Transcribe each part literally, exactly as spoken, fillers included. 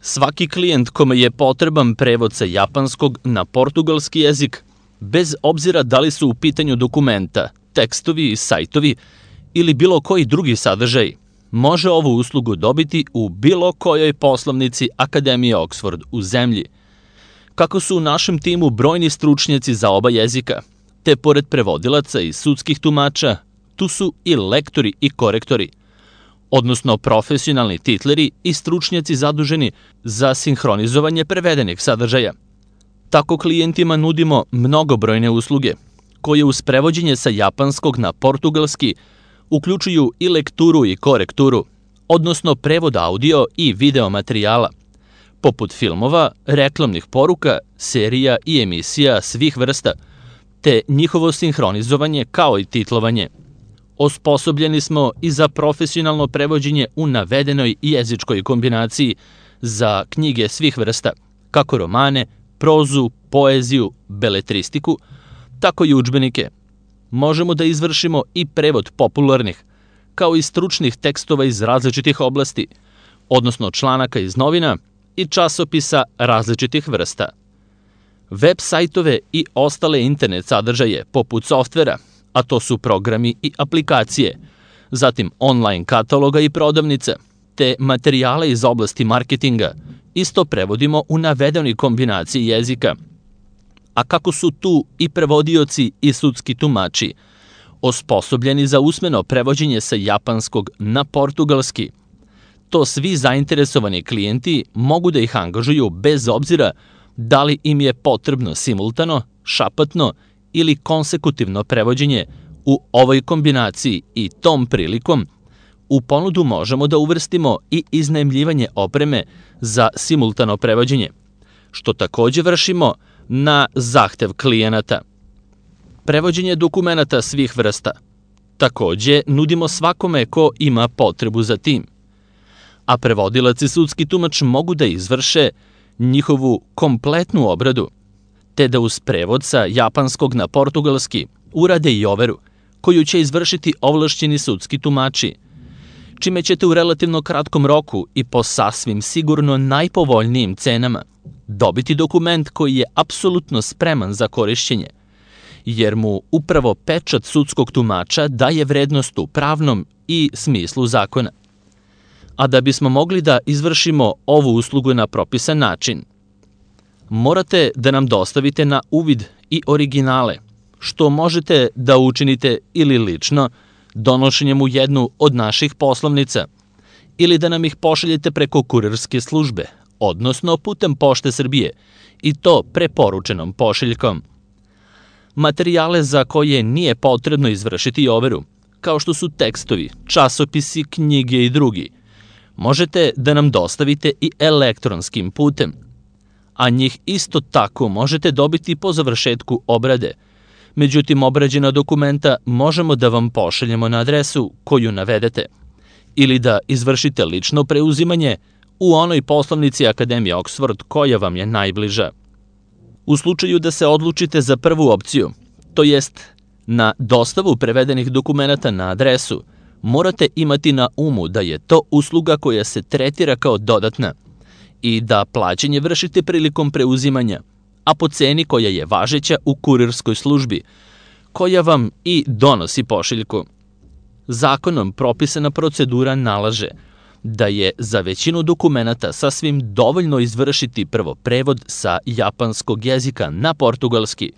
Svaki klijent kome je potreban prevod sa japanskog na portugalski jezik, bez obzira da li su u pitanju dokumenta, tekstovi, sajtovi ili bilo koji drugi sadržaj, može ovu uslugu dobiti u bilo kojoj poslovnici Akademije Oxford u zemlji. Kako su u našem timu brojni stručnjaci za oba jezika, te pored prevodilaca i sudskih tumača, tu su i lektori i korektori, odnosno profesionalni titleri i stručnjaci zaduženi za sinhronizovanje prevedenih sadržaja. Tako klijentima nudimo mnogobrojne usluge, koje uz prevođenje sa japanskog na portugalski uključuju i lekturu i korekturu, odnosno prevod audio i video materijala, poput filmova, reklamnih poruka, serija i emisija svih vrsta, te njihovo sinhronizovanje kao i titlovanje. Osposobljeni smo i za profesionalno prevođenje u navedenoj jezičkoj kombinaciji za knjige svih vrsta, kako romane, prozu, poeziju, beletristiku, tako i udžbenike. Možemo da izvršimo i prevod popularnih, kao i stručnih tekstova iz različitih oblasti, odnosno članaka iz novina i časopisa različitih vrsta. Web sajtove i ostale internet sadržaje poput softvera, a to su programi i aplikacije, zatim online kataloga i prodavnica, te materijale iz oblasti marketinga, isto prevodimo u navedenoj kombinaciji jezika. A kako su tu i prevodioci i sudski tumači, osposobljeni za usmeno prevođenje sa japanskog na portugalski, to svi zainteresovani klijenti mogu da ih angažuju bez obzira da li im je potrebno simultano, šapatno ili konsekutivno prevođenje u ovoj kombinaciji i tom prilikom u ponudu možemo da uvrstimo i iznajmljivanje opreme za simultano prevođenje, što takođe vršimo na zahtev klijenata. Prevođenje dokumenata svih vrsta takođe nudimo svakome ko ima potrebu za tim, a prevodilac i sudski tumač mogu da izvrše njihovu kompletnu obradu, te da uz prevod sa japanskog na portugalski urade i overu, koju će izvršiti ovlašćeni sudski tumači, čime ćete u relativno kratkom roku i po sasvim sigurno najpovoljnijim cenama dobiti dokument koji je apsolutno spreman za korišćenje, jer mu upravo pečat sudskog tumača daje vrednost u pravnom i smislu zakona. A da bismo mogli da izvršimo ovu uslugu na propisan način, morate da nam dostavite na uvid i originale, što možete da učinite ili lično, donošenjem u jednu od naših poslovnica, ili da nam ih pošaljete preko kurirske službe, odnosno putem Pošte Srbije, i to preporučenom pošiljkom. Materijale za koje nije potrebno izvršiti overu, kao što su tekstovi, časopisi, knjige i drugi, možete da nam dostavite i elektronskim putem, a njih isto tako možete dobiti po završetku obrade. Međutim, obrađena dokumenta možemo da vam pošaljemo na adresu koju navedete, ili da izvršite lično preuzimanje u onoj poslovnici Akademije Oxford koja vam je najbliža. U slučaju da se odlučite za prvu opciju, to jest na dostavu prevedenih dokumenata na adresu, morate imati na umu da je to usluga koja se tretira kao dodatna i da plaćanje vršite prilikom preuzimanja, a po ceni koja je važeća u kurirskoj službi, koja vam i donosi pošiljku. Zakonom propisana procedura nalaže da je za većinu dokumenata sasvim dovoljno izvršiti prvo prevod sa japanskog jezika na portugalski,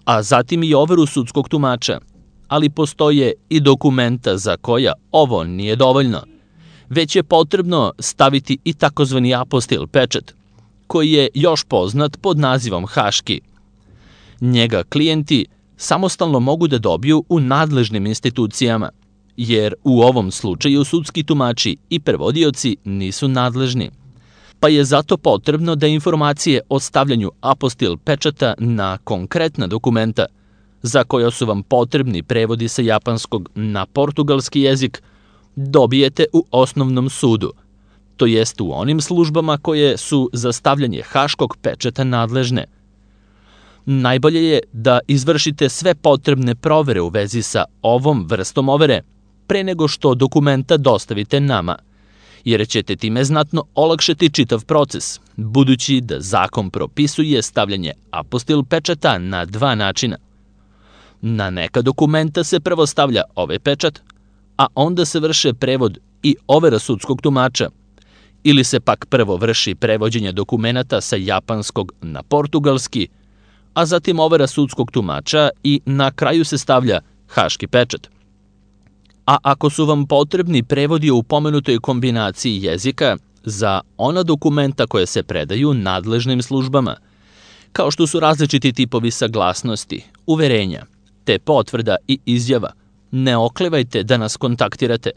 a zatim i overu sudskog tumača, ali postoje i dokumenta za koja ovo nije dovoljno, već je potrebno staviti i takozvani apostil pečat, koji je još poznat pod nazivom haški. Njega klijenti samostalno mogu da dobiju u nadležnim institucijama, jer u ovom slučaju sudski tumači i prevodioci nisu nadležni, pa je zato potrebno da informacije o stavljanju apostil pečata na konkretna dokumenta, za koja su vam potrebni prevodi sa japanskog na portugalski jezik, dobijete u osnovnom sudu, to jest u onim službama koje su za stavljanje haškog pečata nadležne. Najbolje je da izvršite sve potrebne provere u vezi sa ovom vrstom overe pre nego što dokumenta dostavite nama, jer ćete time znatno olakšati čitav proces, budući da zakon propisuje stavljanje apostil pečata na dva načina. Na neka dokumenta se prvo stavlja ovaj pečat, a onda se vrše prevod i overa sudskog tumača, ili se pak prvo vrši prevođenje dokumenata sa japanskog na portugalski, a zatim overa sudskog tumača i na kraju se stavlja haški pečat. A ako su vam potrebni prevodi u pomenutoj kombinaciji jezika za ona dokumenta koje se predaju nadležnim službama, kao što su različiti tipovi saglasnosti, uverenja, te potvrda i izjava, ne oklevajte da nas kontaktirate,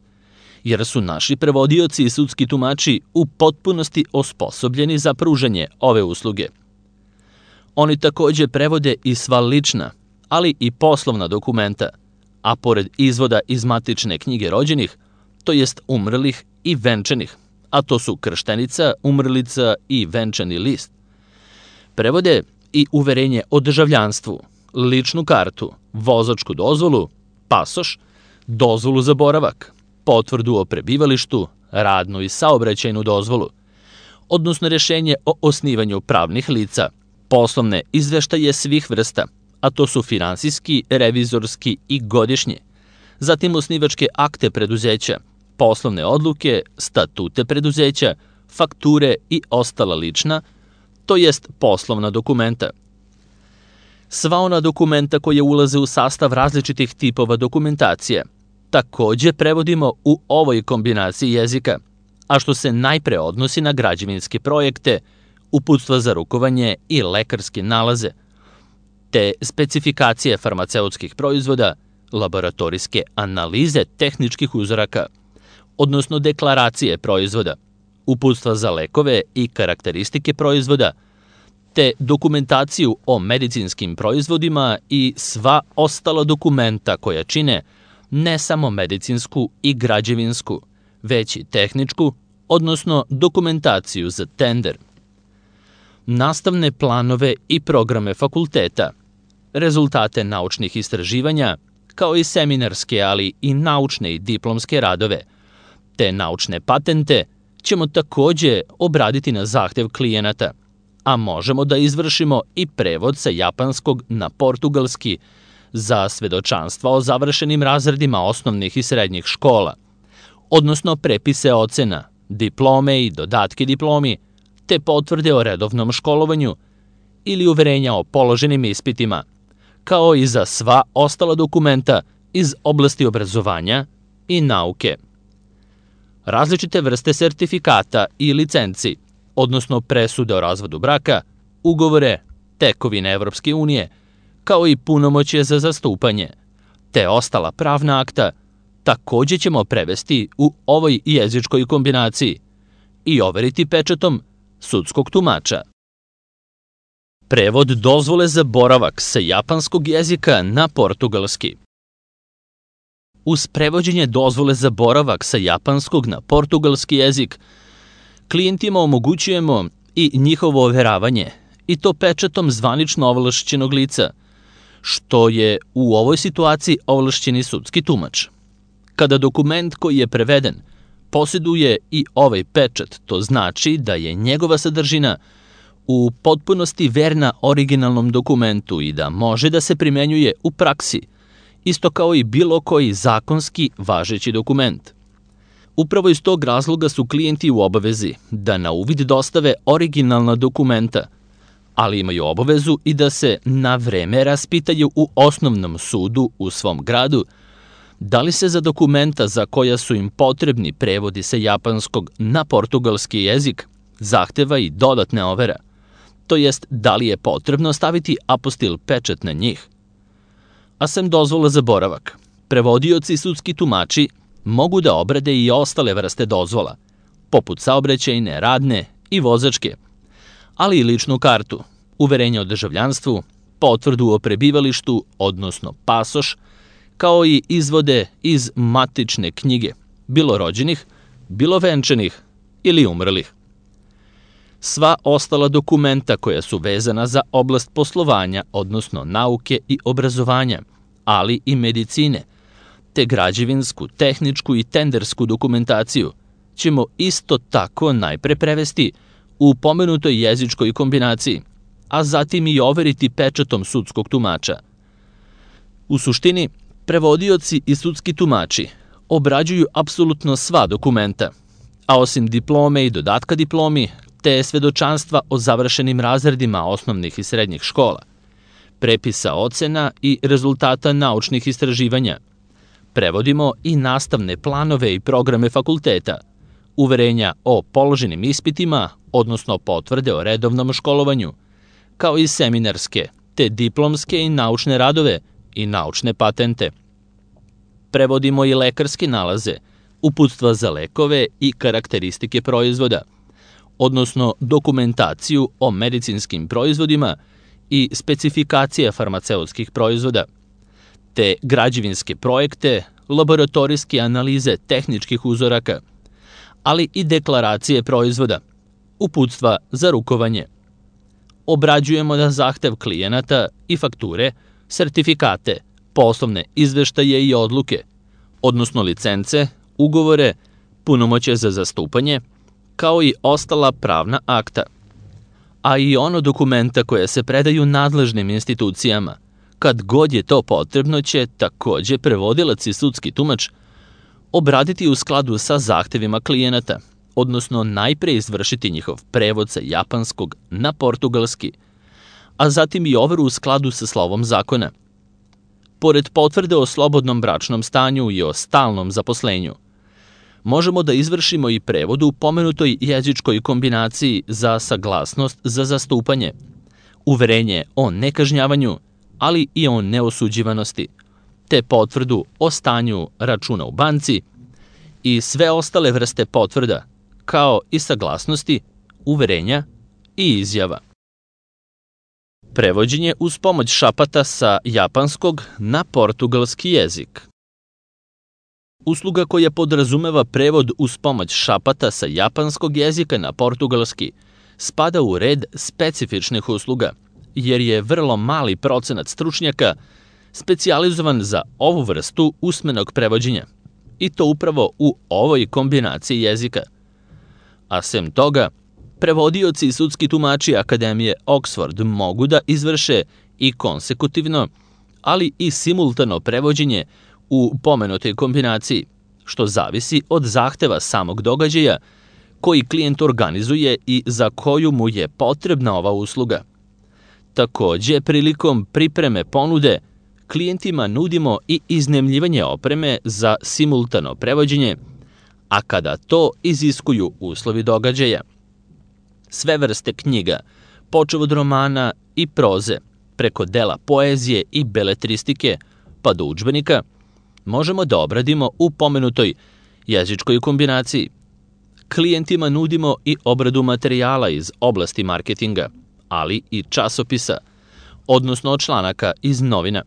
jer su naši prevodioci i sudski tumači u potpunosti osposobljeni za pružanje ove usluge. Oni takođe prevode i sva lična, ali i poslovna dokumenta, a pored izvoda iz matične knjige rođenih, to jest umrlih i venčanih, a to su krštenica, umrlica i venčani list. Prevode i uverenje o državljanstvu, ličnu kartu, vozačku dozvolu, pasoš, dozvolu za boravak, potvrdu o prebivalištu, radnu i saobraćajnu dozvolu, odnosno rješenje o osnivanju pravnih lica, poslovne izveštaje svih vrsta, a to su finansijski, revizorski i godišnji, zatim osnivačke akte preduzeća, poslovne odluke, statute preduzeća, fakture i ostala lična, to jest poslovna dokumenta. Sva ona dokumenta koje ulaze u sastav različitih tipova dokumentacije takođe prevodimo u ovoj kombinaciji jezika, a što se najpre odnosi na građevinske projekte, uputstva za rukovanje i lekarske nalaze, te specifikacije farmaceutskih proizvoda, laboratorijske analize tehničkih uzoraka, odnosno deklaracije proizvoda, uputstva za lekove i karakteristike proizvoda, te dokumentaciju o medicinskim proizvodima i sva ostala dokumenta koja čine ne samo medicinsku i građevinsku, već i tehničku, odnosno dokumentaciju za tender. Nastavne planove i programe fakulteta, rezultate naučnih istraživanja, kao i seminarske, ali i naučne i diplomske radove, te naučne patente ćemo takođe obraditi na zahtev klijenata, a možemo da izvršimo i prevod sa japanskog na portugalski za svedočanstva o završenim razredima osnovnih i srednjih škola, odnosno prepise ocena, diplome i dodatke diplomi, te potvrde o redovnom školovanju ili uverenja o položenim ispitima, kao i za sva ostala dokumenta iz oblasti obrazovanja i nauke. Različite vrste sertifikata i licenci, odnosno presude o razvodu braka, ugovore, tekovine Evropske unije, kao i punomoćje za zastupanje, te ostala pravna akta, takođe ćemo prevesti u ovoj jezičkoj kombinaciji i overiti pečatom sudskog tumača. Prevod dozvole za boravak sa japanskog jezika na portugalski. Uz prevođenje dozvole za boravak sa japanskog na portugalski jezik, klijentima omogućujemo i njihovo overavanje, i to pečatom zvanično ovlašćenog lica, što je u ovoj situaciji ovlašćeni sudski tumač. Kada dokument koji je preveden posjeduje i ovaj pečat, to znači da je njegova sadržina u potpunosti verna originalnom dokumentu i da može da se primenjuje u praksi, isto kao i bilo koji zakonski važeći dokument. Upravo iz tog razloga su klijenti u obavezi da na uvid dostave originalna dokumenta, ali imaju obavezu i da se na vreme raspitaju u osnovnom sudu u svom gradu da li se za dokumenta za koja su im potrebni prevodi sa japanskog na portugalski jezik zahteva i dodatne overa, to jest da li je potrebno staviti apostil pečat na njih. A sem dozvola za boravak, prevodioci i sudski tumači mogu da obrade i ostale vrste dozvola, poput saobraćajne, radne i vozačke, ali i ličnu kartu, uverenje o državljanstvu, potvrdu o prebivalištu, odnosno pasoš, kao i izvode iz matične knjige, bilo rođenih, bilo venčanih ili umrlih. Sva ostala dokumenta koja su vezana za oblast poslovanja, odnosno nauke i obrazovanja, ali i medicine, te građevinsku, tehničku i tendersku dokumentaciju, ćemo isto tako najpre prevesti u pomenutoj jezičkoj kombinaciji, a zatim i overiti pečatom sudskog tumača. U suštini, prevodioci i sudski tumači obrađuju apsolutno sva dokumenta, a osim diplome i dodatka diplomi, te svedočanstva o završenim razredima osnovnih i srednjih škola, prepisa ocena i rezultata naučnih istraživanja, prevodimo i nastavne planove i programe fakulteta, uverenja o položenim ispitima, odnosno potvrde o redovnom školovanju, kao i seminarske, te diplomske i naučne radove i naučne patente. Prevodimo i lekarske nalaze, uputstva za lekove i karakteristike proizvoda, odnosno dokumentaciju o medicinskim proizvodima i specifikacije farmaceutskih proizvoda, te građevinske projekte, laboratorijske analize tehničkih uzoraka, ali i deklaracije proizvoda, uputstva za rukovanje. Obrađujemo na zahtev klijenata i fakture, sertifikate, poslovne izveštaje i odluke, odnosno licence, ugovore, punomoćje za zastupanje, kao i ostala pravna akta, a i ono dokumenta koje se predaju nadležnim institucijama. Kad god je to potrebno će takođe prevodilac i sudski tumač obraditi u skladu sa zahtevima klijenata, odnosno najpre izvršiti njihov prevod sa japanskog na portugalski, a zatim i overu u skladu sa slovom zakona. Pored potvrde o slobodnom bračnom stanju i o stalnom zaposlenju, možemo da izvršimo i prevod u pomenutoj jezičkoj kombinaciji za saglasnost za zastupanje, uverenje o nekažnjavanju, ali i o neosuđivanosti, te potvrdu o stanju računa u banci i sve ostale vrste potvrda, kao i saglasnosti, uverenja i izjava. Prevođenje uz pomoć šapata sa japanskog na portugalski jezik. Usluga koja podrazumeva prevod uz pomoć šapata sa japanskog jezika na portugalski spada u red specifičnih usluga, jer je vrlo mali procenat stručnjaka specijalizovan za ovu vrstu usmenog prevođenja, i to upravo u ovoj kombinaciji jezika. A sem toga, prevodioci i sudski tumači Akademije Oxford mogu da izvrše i konsekutivno, ali i simultano prevođenje u pomenutoj kombinaciji, što zavisi od zahteva samog događaja koji klijent organizuje i za koju mu je potrebna ova usluga. Takođe, prilikom pripreme ponude, klijentima nudimo i iznajmljivanje opreme za simultano prevođenje, a kada to iziskuju uslovi događaja. Sve vrste knjiga, počev od romana i proze, preko dela poezije i beletristike, pa do udžbenika, možemo da obradimo u pomenutoj jezičkoj kombinaciji. Klijentima nudimo i obradu materijala iz oblasti marketinga, ali i časopisa, odnosno članaka iz novina.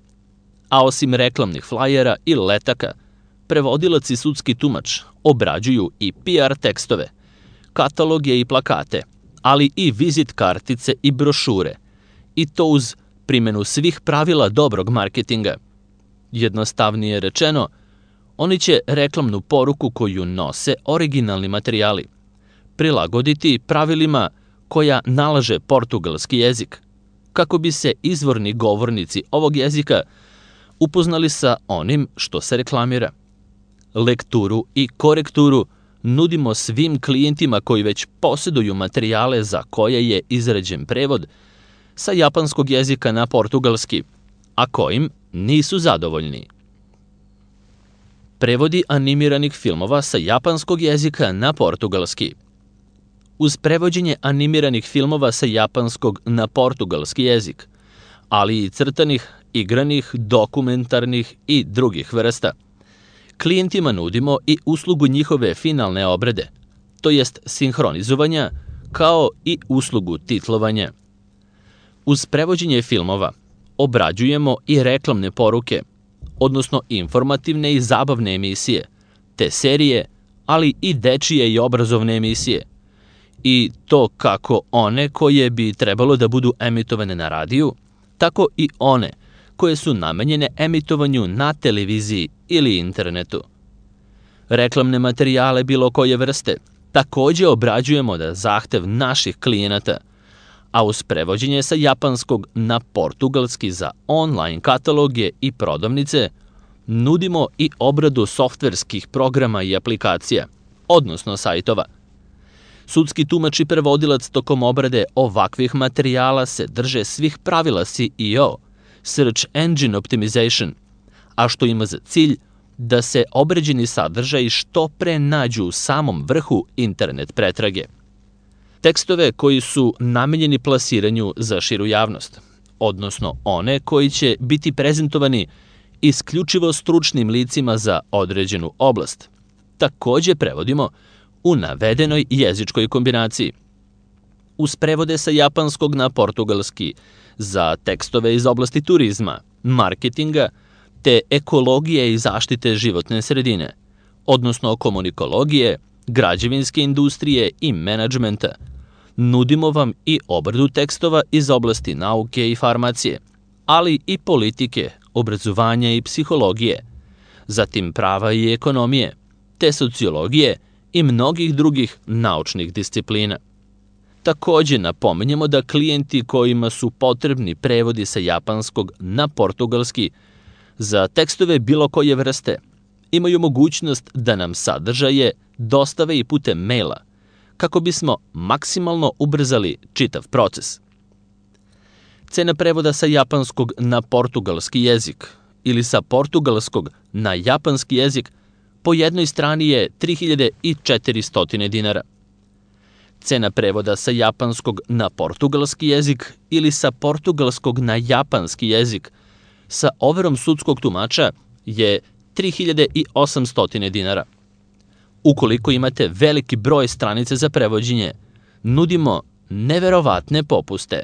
A osim reklamnih flajera i letaka, prevodilac i sudski tumač obrađuju i P R tekstove, kataloge i plakate, ali i vizit kartice i brošure, i to uz primenu svih pravila dobrog marketinga. Jednostavnije rečeno, oni će reklamnu poruku koju nose originalni materijali prilagoditi pravilima koja nalaže portugalski jezik, kako bi se izvorni govornici ovog jezika upoznali sa onim što se reklamira. Lekturu i korekturu nudimo svim klijentima koji već posjeduju materijale za koje je izrađen prevod sa japanskog jezika na portugalski, a kojim nisu zadovoljni. Prevodi animiranih filmova sa japanskog jezika na portugalski. Uz prevođenje animiranih filmova sa japanskog na portugalski jezik, ali i crtanih, igranih, dokumentarnih i drugih vrsta, klijentima nudimo i uslugu njihove finalne obrade, to jest sinhronizovanja, kao i uslugu titlovanja. Uz prevođenje filmova obrađujemo i reklamne poruke, odnosno informativne i zabavne emisije, te serije, ali i dečije i obrazovne emisije, i to kako one koje bi trebalo da budu emitovane na radiju, tako i one koje su namenjene emitovanju na televiziji ili internetu. reklamne materijale bilo koje vrste. Takođe obrađujemo da zahtev naših klijenata, a uz prevođenje sa japanskog na portugalski za online kataloge i prodavnice, nudimo i obradu softverskih programa i aplikacija, odnosno sajtova. Sudski tumač i prevodilac tokom obrade ovakvih materijala se drže svih pravila S E O, Search Engine Optimization, a što ima za cilj da se obrađeni sadržaji što pre nađu u samom vrhu internet pretrage. Tekstove koji su namenjeni plasiranju za širu javnost, odnosno one koji će biti prezentovani isključivo stručnim licima za određenu oblast, takođe prevodimo u navedenoj jezičkoj kombinaciji. Uz prevode sa japanskog na portugalski za tekstove iz oblasti turizma, marketinga, te ekologije i zaštite životne sredine, odnosno komunikologije, građevinske industrije i menadžmenta, nudimo vam i obradu tekstova iz oblasti nauke i farmacije, ali i politike, obrazovanja i psihologije, zatim prava i ekonomije, te sociologije i mnogih drugih naučnih disciplina. Takođe napominjemo da klijenti kojima su potrebni prevodi sa japanskog na portugalski za tekstove bilo koje vrste imaju mogućnost da nam sadržaje dostave i putem maila, kako bismo maksimalno ubrzali čitav proces. Cena prevoda sa japanskog na portugalski jezik ili sa portugalskog na japanski jezik po jednoj strani je tri hiljade četiristo dinara. Cena prevoda sa japanskog na portugalski jezik ili sa portugalskog na japanski jezik sa overom sudskog tumača je tri hiljade osamsto dinara. Ukoliko imate veliki broj stranica za prevođenje, nudimo neverovatne popuste.